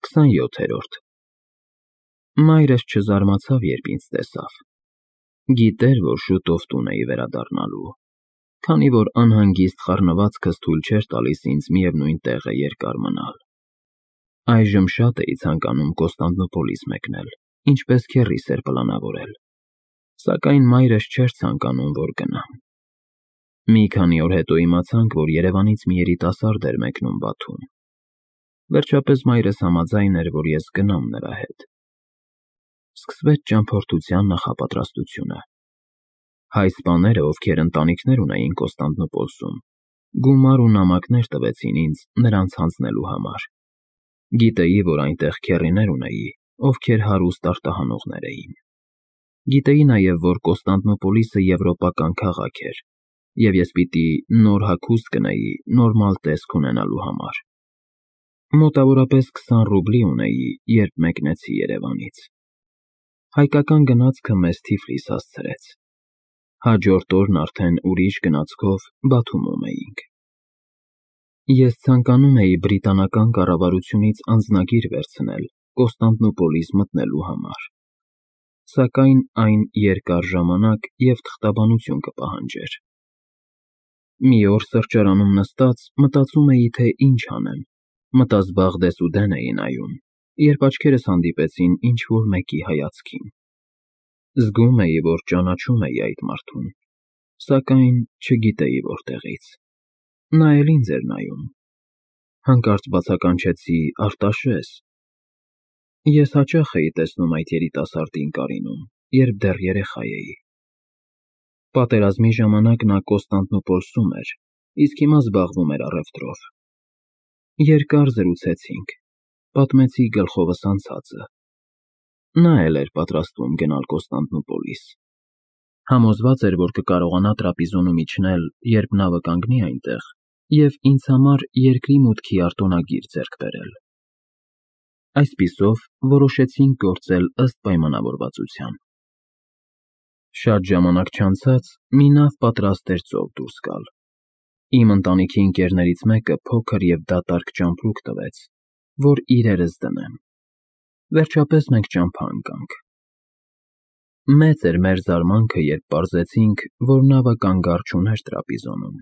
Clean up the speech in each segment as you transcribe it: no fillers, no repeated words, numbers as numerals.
27-րդ Մայրս չզարմացավ, երբ ինձ տեսավ։ Գիտեր, որ շուտով տուն էի վերադառնալու, քանի որ անհանգիստ խառնվածքս թույլ չէր տալիս ինձ միևնույն տեղը երկար մնալ։ Այժմ շատ էի ցանկանում Կոստանդնուպոլիս մեկնել, ինչպես քեռիս էր պլանավորել, սակայն մայրս չէր ցանկանում, որ գնամ։ Մի քանի օր հետո իմացանք, որ Երևանից մի երիտասարդ էր մեկնում Բաթում։ Վերջապես մայրս համաձայն էր, որ ես գնամ նրա հետ։ Սկսվեց ճամփորդության նախապատրաստությունը։ Հայ սպաները, ովքեր ընտանիքներ ունեին Կոստանդնուպոլսում, գումար ու նամակներ տվեցին ինձ նրանց հանձնելու համար։ Գիտեի, որ այնտեղ քեռիներ ունեի, ովքեր հարուստ արտահանողներ էին։ Գիտեի նաև, որ Կոստանդնուպոլիսը եվրոպական քաղաք էր, և ես պիտի նոր հագուստ գնեի նորմալ տեսք ունենալու համար։ Մոտավորապես 20 ռուբլի ունեի, երբ մեկնեցի Երևանից։ Հայկական գնացքը մեզ Թիֆլիս հասցրեց։ Հաջորդ օրն արդեն ուրիշ գնացքով Բաթումում էինք։ Ես ցանկանում էի բրիտանական կառավարությունից անձնագիր վերցնել Կոստանդնուպոլիս մտնելու համար, սակայն այն երկար ժամանակ և թղթաբանություն կպահանջեր։ Մի օր սրճարանում նստած մտածում էի, թե ինչ անեմ, մտազբաղ դեսուդեն էի նայում, երբ աչքերս հանդիպեցին ինչ-որ մեկի հայացքին։ Զգում էի, որ ճանաչում էի այդ մարդուն, սակայն չգիտեի որտեղից։ Նա էլ ինձ էր նայում։ Հանկարծ բացականչեցի. Արտաշես։ Ես հաճախ էի տեսնում այդ երիտասարդին Կարինում, երբ դեռ երեխա էի։ Պատերազմի ժամանակ նա Կոստանդնուպոլսում էր, իսկ հիմա զբաղվում էր առևտրով։ Երկար զրուցեցինք, պատմեցի գլխովս անցածը։ Նա էլ էր պատրաստվում գնալ Կոստանդնուպոլիս։ Համոզված էր, որ կկարողանա տրապիզոնում իջնել, երբ նավը կանգնի այնտեղ, և ինձ համար երկրի մուտքի արտոնագիր ձեռք բերել։ Այսպիսով, որոշեցինք գործել ըստ պայմանավորվածության։ Շատ ժամանակ չանցած մի նավ պատրաստ էր ծով դուրս գալ։ Իմ ընտանիքի ընկերներից մեկը փոքր և դատարկ ճամպրուկ տվեց, որ իրերս դնեմ։ Վերջապես մենք ճամփա ընկանք։ Մեծ էր մեր զարմանքը, երբ պարզեցինք, որ նավը կանգառ չուներ տրապիզոնում։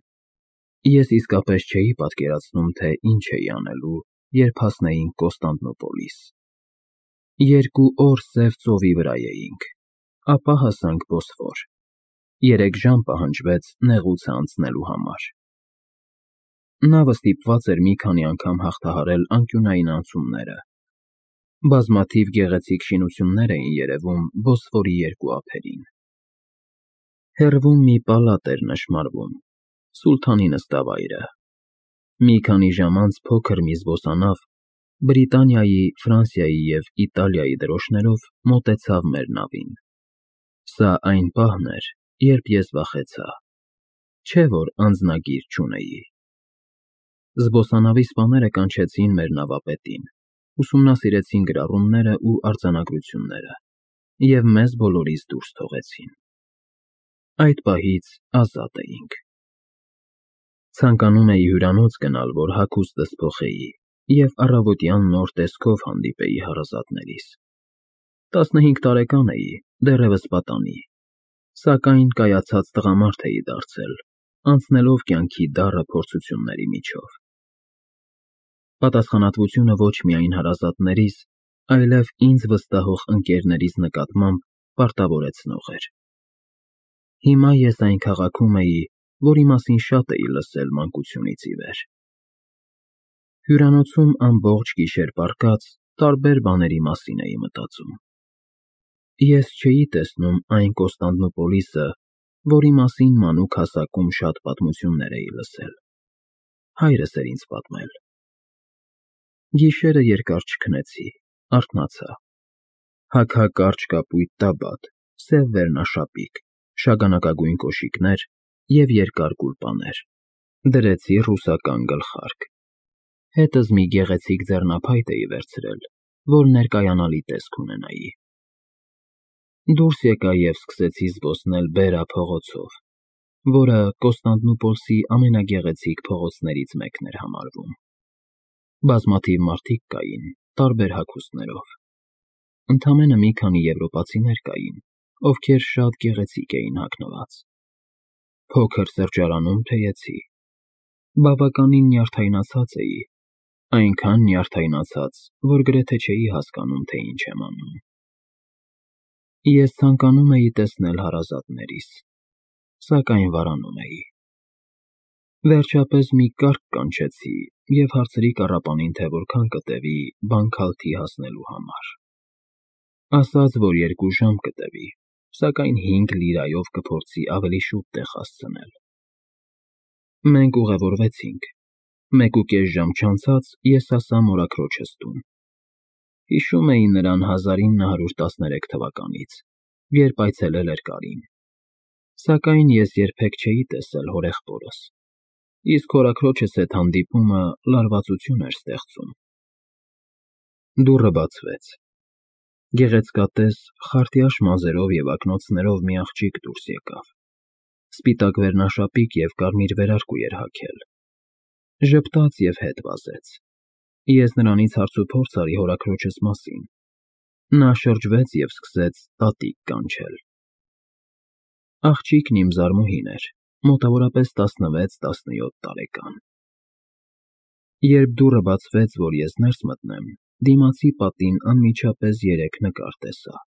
Ես իսկապես չէի պատկերացնում, թե ինչ էի անելու, երբ հասնեինք Կոստանդնուպոլիս։ 2 օր սև ծովի վրա էինք, ապա հասանք Բոսֆոր։ 3 ժամ պահանջվեց նեղուցը անցնելու համար։ Նավը ստիպված էր մի քանի անգամ հաղթահարել անկյունային անցումները։ Բազմաթիվ գեղեցիկ շինություններ էին երևում Բոսֆորի երկու ափերին։ Հեռվում մի պալատ էր նշմարվում, սուլթանի նստավայրը։ Մի քանի ժամ անց փոքր մի զբոսանավ Բրիտանիայի, Ֆրանսիայի և Իտալիայի դրոշներով մոտեցավ մեր նավին։ Սա այն պահն էր, երբ ես վախեցա։ Չէ՞ որ անձնագիր չունեի։ Զբոսանավի սպաները կանչեցին մեր նավապետին, ուսումնասիրեցին գրառումները ու արձանագրությունները և մեզ բոլորիս դուրս թողեցին։ Այդ պահից ազատ էինք։ Ցանկանում էի հյուրանոց գնալ, որ հագուստս փոխեի և առավոտյան նոր տեսքով հանդիպեի հարազատներիս։ 15 տարեկան էի, դեռևս պատանի, սակայն կայացած տղամարդ էի դարձել, անցնելով կյանքի դառը փորձությունների միջով։ Պատասխանատվությունը ոչ միայն հարազատներիս, այլև ինձ վստահող ընկերներիս նկատմամբ պարտավորեցնող էր։ Հիմա ես այն քաղաքում էի, որի մասին շատ էի լսել մանկությունից ի վեր։ Հյուրանոցում ամբողջ գիշեր պառկած տարբեր բաների մասին էի մտածում։ Ես չէի տեսնում այն Կոստանդնուպոլիսը, որի մասին մանուկ հասակում շատ պատմություններ էի լսել։ Հայրս էր ինձ պատմել։ Գիշերը երկար չքնեցի, արթնացա։ Հագակարճ կապույտ տաբատ, սև վերնաշապիկ, շագանակագույն կոշիկներ և երկար գուլպաներ։ Դրեցի ռուսական գլխարկ։ Հետս մի գեղեցիկ ձեռնափայտ էի վերցրել, որ ներկայանալի տեսք ունենայի։ Դուրս եկա և սկսեցի զբոսնել Բերա փողոցով, որը Կոստանդնուպոլսի ամենագեղեցիկ փողոցներից մեկն էր համարվում։ Բազմաթիվ մարդիկ կային, տարբեր հագուստներով։ Ընդամենը մի քանի եվրոպացիներ կային, ովքեր շատ գեղեցիկ էին հագնված։ Փոքր սրճարանում թեյեցի։ Բավականին նյարդայնացած էի, այնքան նյարդայնացած, որ գրեթե չէի հասկանում, թե ինչ եմ անում։ Ես ցանկանում էի տեսնել հարազատներիս, սակայն վարանում էի։ Վերջապես մի կարգ կանչեցի և հարցրի կառապանին, թե որքան կտևի Բանքհալթի հասնելու համար։ Ասաց, որ 2 ժամ կտևի, սակայն 5 լիրայով կփորձի ավելի շուտ տեղ հասցնել։ Մենք ուղևորվեցինք։ 1.5 ժամ չանցած ես հասա մորաքրոջս տուն։ Հիշում էի նրան 1913 թվականից, երբ այցելել էր Կարին։ Սակայն ես երբեք չէի տեսել հորեղբորս, իսկ հորաքրոջս հետ հանդիպումը լարվածություն էր ստեղծում։ Դուռը բացվեց։ Գեղեցկատես, խարտյաշ մազերով և ակնոցներով մի աղջիկ դուրս եկավ։ Սպիտակ վերնաշապիկ և կարմիր վերարկու էր հագել։ Ժպտաց և հետ վազեց։ Ես նրանից հարցուփորձ արի հորաքրոջս մասին։ Նա շրջվեց և սկսեց տատիկ կանչել։ Աղջիկն իմ զարմուհին էր, մոտավորապես 16-17 տարեկան։ Երբ դուռը բացվեց, որ ես ներս մտնեմ, դիմացի պատին անմիջապես 3 նկար տեսա։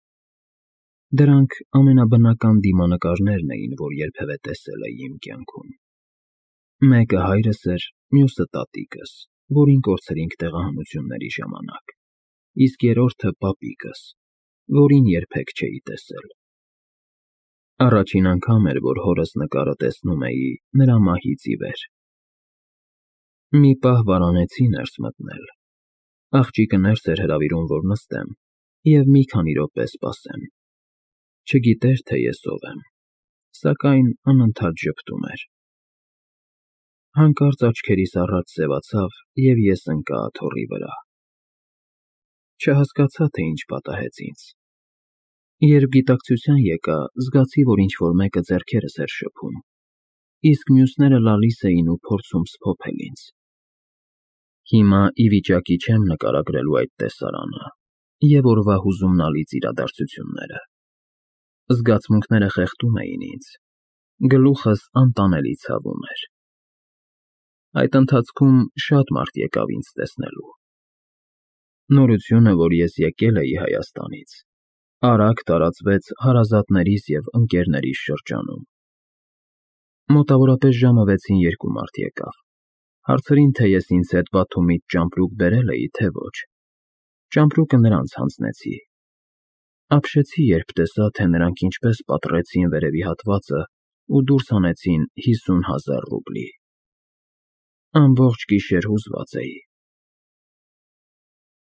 Դրանք ամենաբնական դիմանկարներն էին, որ երբևէ տեսել էի իմ կյանքում։ Մեկը հայրս էր, մյուսը տատիկս, որին կորցրինք տեղահանությունների ժամանակ, իսկ երրորդը պապիկս, որին երբեք չէի տեսել։ Առաջին անգամ էր, որ հորս նկարը տեսնում էի նրա մահից ի վեր։ Մի պահ վարանեցի ներս մտնել։ Աղջիկը ներս էր հրավիրում, որ նստեմ և մի քանի րոպե սպասեմ։ Չգիտեր, թե ես ով եմ, սակայն անընդհատ ժպտում էր։ Հանկարծ աչքերիս առաջ սևացավ, և ես ընկա աթոռի վրա։ Չհասկացա, թե ինչ պատահեց ինձ։ Երբ գիտակցության եկա, զգացի, որ ինչ-որ մեկը ձեռքերս էր շփում, իսկ մյուսները լալիս էին ու փորձում սփոփել ինձ։ Հիմա ի վիճակի չեմ նկարագրելու այդ տեսարանը և օրվա հուզումնալից իրադարձությունները։ Զգացմունքները խեղդում էին ինձ, գլուխս անտանելի ցավում էր։ Այդ ընթացքում շատ մարդ եկավ ինձ տեսնելու։ Նորությունը, որ ես եկել էի Հայաստանից, արագ տարածվեց հարազատներիս և ընկերներիս շրջանում։ Մոտավորապես ժամը 6-ին 2 մարդ եկավ։ Հարցրին, թե ես ինձ հետ Բաթումից ճամպրուկ բերել էի, թե ոչ։ Ճամպրուկը նրանց հանձնեցի։ Ապշեցի, երբ տեսա, թե նրանք ինչպես պատռեցին վերևի հատվածը ու դուրս հանեցին 50,000 ռուբլի։ Ամբողջ գիշեր հուզված էի։